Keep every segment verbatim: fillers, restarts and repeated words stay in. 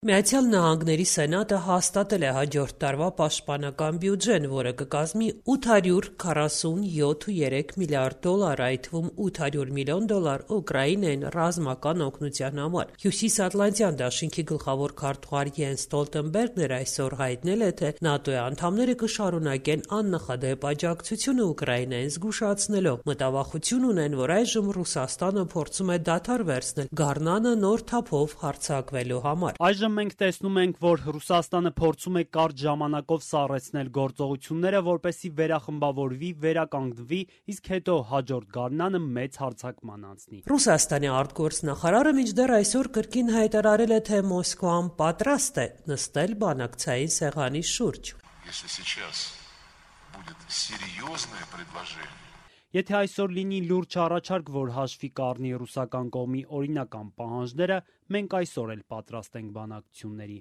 Միացյալ Նահանգների Սենատը հաստատել է հաջորդ տարվա պաշտպանական բյուջեն, որը կկազմի ութ հարյուր քառասունյոթ կόμμα երեք միլիարդ դոլար, այդ թվում ութ հարյուր միլիոն դոլար Ուկրաինային ռազմական օգնության համար։ Հյուսիսատլանտյան դաշինքի գլխավոր քարտուղար Յենս Ստոլտենբերգն էր այսօր հայտնել է, թե ՆԱՏՕ-ի անդամները կշարունակեն աննախադեպ աջակցությունը Ուկրաինային, զգուշացնելով մտավախություն ունեն, որ այժմ Ռուսաստանը փորձում է դադար վերցնել գարնանը նոր թափով հարձակվելու համար։ Այժմ մենք տեսնում ենք, որ Ռուսաստանը փորձում է կարճ ժամանակով սառեցնել գործողությունները, որպեսզի վերախմբավորվի, վերականգնվի, իսկ հետո հաջորդ գարնանը մեծ հարձակման անցնի։ Ռուսաստանի արտգործնախարարը մինչդեռ այսօր կրկին հայտարարել է, թե Մոսկվան պատրաստ է նստել բանակցային սեղանի շուրջ։ Եթե այսօր լինի լուրջ առաջարկ, որ հաշվի կառնի ռուսական կողմի օրինական պահանջները, մենք այսօր էլ պատրաստ ենք բանակցությունների։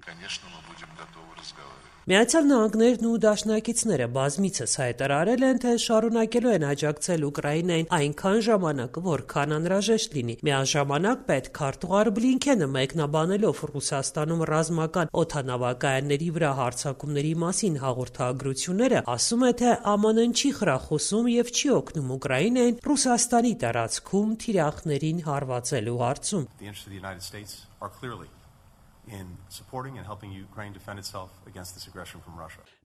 Միացյալ Նահանգներն ու դաշնակիցները բազմիցս հայտարարել են, թե շարունակելու են աջակցել Ուկրաինային այնքան ժամանակ, որքան անհրաժեշտ լինի։ Միաժամանակ պետքարտուղար Բլինքենը մեկնաբանելով Ռուսաստանում ռազմական օդանավակայանների վրա հարձակումների մասին հաղորդագրությունները, ասում է, թե ԱՄՆ-ն չի խրախուսում եւ չի օգնում Ուկրաինային Ռուսաստանի տարածքում թիրախներին հարվածելու հարցում։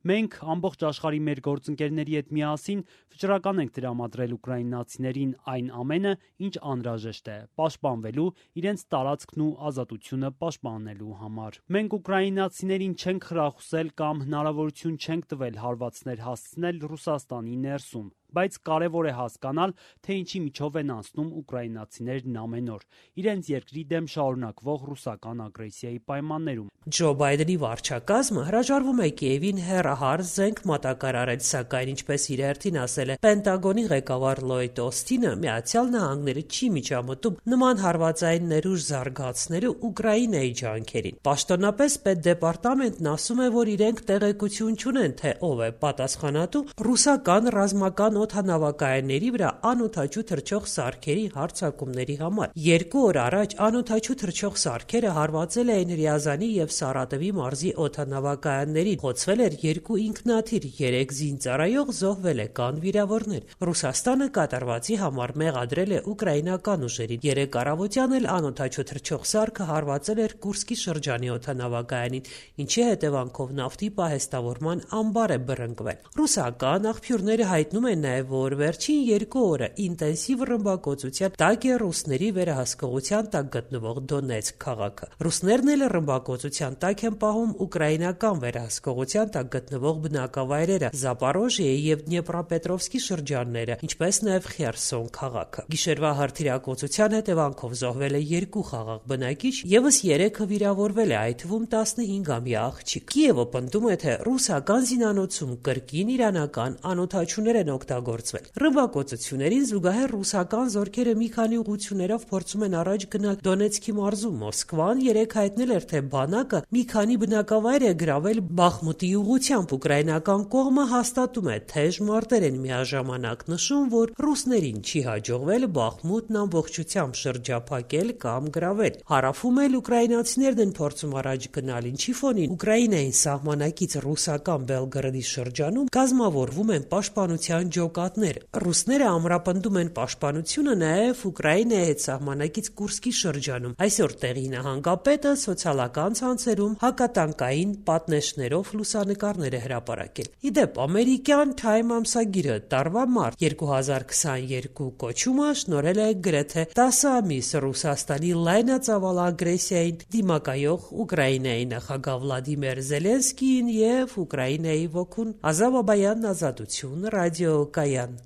Մենք ամբողջ աշխարհի մեր գործընկերների հետ միասին վճռական ենք տրամադրել ուկրաինացիներին այն ամենը, ինչ անհրաժեշտ է, պաշտպանվելու, իրենց տարածքն ու ազատությունը պաշտպանելու համար։ Մենք ուկրաինացիներին չենք խրախուսել կամ հնարավորություն չենք տվել հարվածներ հասցնել Ռուսաստանի ներսում, բայց կարևոր է հասկանալ, թե ինչի միջով են անցնում ուկրաինացիներն ամեն օր, իրենց երկրի դեմ շարունակվող ռուսական ագրեսիայի պայմաններում։ Ջո Բայդենի վարչակազմը հրաժարվում է Կիևին հեռահար զենք մատակարարել, սակայն ինչպես իր հերթին ասել է Պենտագոնի ղեկավար Լոյդ Օսթինը, Միացյալ Նահանգները չի միջամտում նման հարվածային ներուժ զարգացնելու Ուկրաինայի ջանքերին։ Պաշտոնապես պետդեպարտամենտն ասում է, որ իրենք տեղեկություն չունեն, թե ով է պատասխանատու ռուսական ռազմական օդանավակայանների վրա անօդաչու թռչող սարքերի հարձակումների համար։ Երկու օր առաջ անօդաչու թռչող սարքերը հարվածել էին Ռիազանի եւ Սարատովի մարզի օդանավակայաններին, խոցվել էր երկու ինքնաթիռ, երեք զինծառայող զոհվել է, կան վիրավորներ։ Ռուսաստանը կատարվածի համար մեղադրել է ուկրաինական ուժերին։ Երեկ առավոտյան էլ անօդաչու թռչող սարքը հարվածել էր Կուրսկի շրջանի օդանավակայանին, ինչի հետևանքով նավթի պահեստավորման ամբար է բռնկվել։ Ռուսական աղբյուրները հայտնում են նաև, որ վերջին երկու օրը ինտենսիվ ռմբակոծության տակ է ռուսների վերահսկողության տակ գտնվող Դոնեցկ քաղաքը։ Ռուսներն էլ ռմբակոծության տակ են պահում ուկրաինական վերահսկողության տակ գտնվող բնակավայրերը Զապորոժիեի եւ Դնեպրոպետրովսկի շրջանները, ինչպես նաև Խերսոն քաղաքը։ Գիշերվա հրթիռակոծության հետևանքով զոհվել է երկու խաղաղ բնակիչ, եւս երեքը վիրավորվել է, այդ թվում տասնհինգամյա աղջիկ։ Կիևը պնդում է, թե ռուսական զինանոցում կրկին իրանական անօդաչուներ են օգտագործվել։ Ռմբակոծություններին զուգահեռ ռուսական զորքերը մի քանի ուղղություններով փորձում են առաջ գնալ Դոնեցկի մարզում։ Մոսկվան երեկ հայտնել էր, թե բանակը մի քանի բնակավայր է գրավել Բախմուտի ուղղությամբ։ Ուկրաինական կողմը հաստատում է թեժ մարտեր են, միաժամանակ նշում, որ ռուսներին չի հաջողվել Բախմուտն ամբողջությամբ շրջափակել կամ գրավել։ Հարավում էլ ուկրաինացիներն են փորձում առաջ գնալ, ինչի ֆոնին Ուկրաինային սահմանակից ռուսական Բելգրադի շրջանում կազմավորվում են պաշտպանության ջոկատներ։ Ռուսները ամրապնդում են պաշտպանությունը նաև Ուկրաինայի հետ սահմանակից Կուրսկի շրջանում։ Այսօր տեղի նահանգապետը սոցիալական ցանցերում հակատանկային պատնեշներով լուսանկարներ է հրապարակել։ Ի դեպ, ամերիկյան Time ամսագիրը տարվա մարտ երկու հազար քսաներկու կոչումը շնորհել է գրեթե տասը ամիս Ռուսաստանի լայնածավալ ագրեսիային դիմակայող Ուկրաինայի նախագահ Վլադիմիր Զելենսկիին եւ Ուկրաինայի ոգուն։ Ազավ Բաբայան, Ազատություն, ռադիոկայան։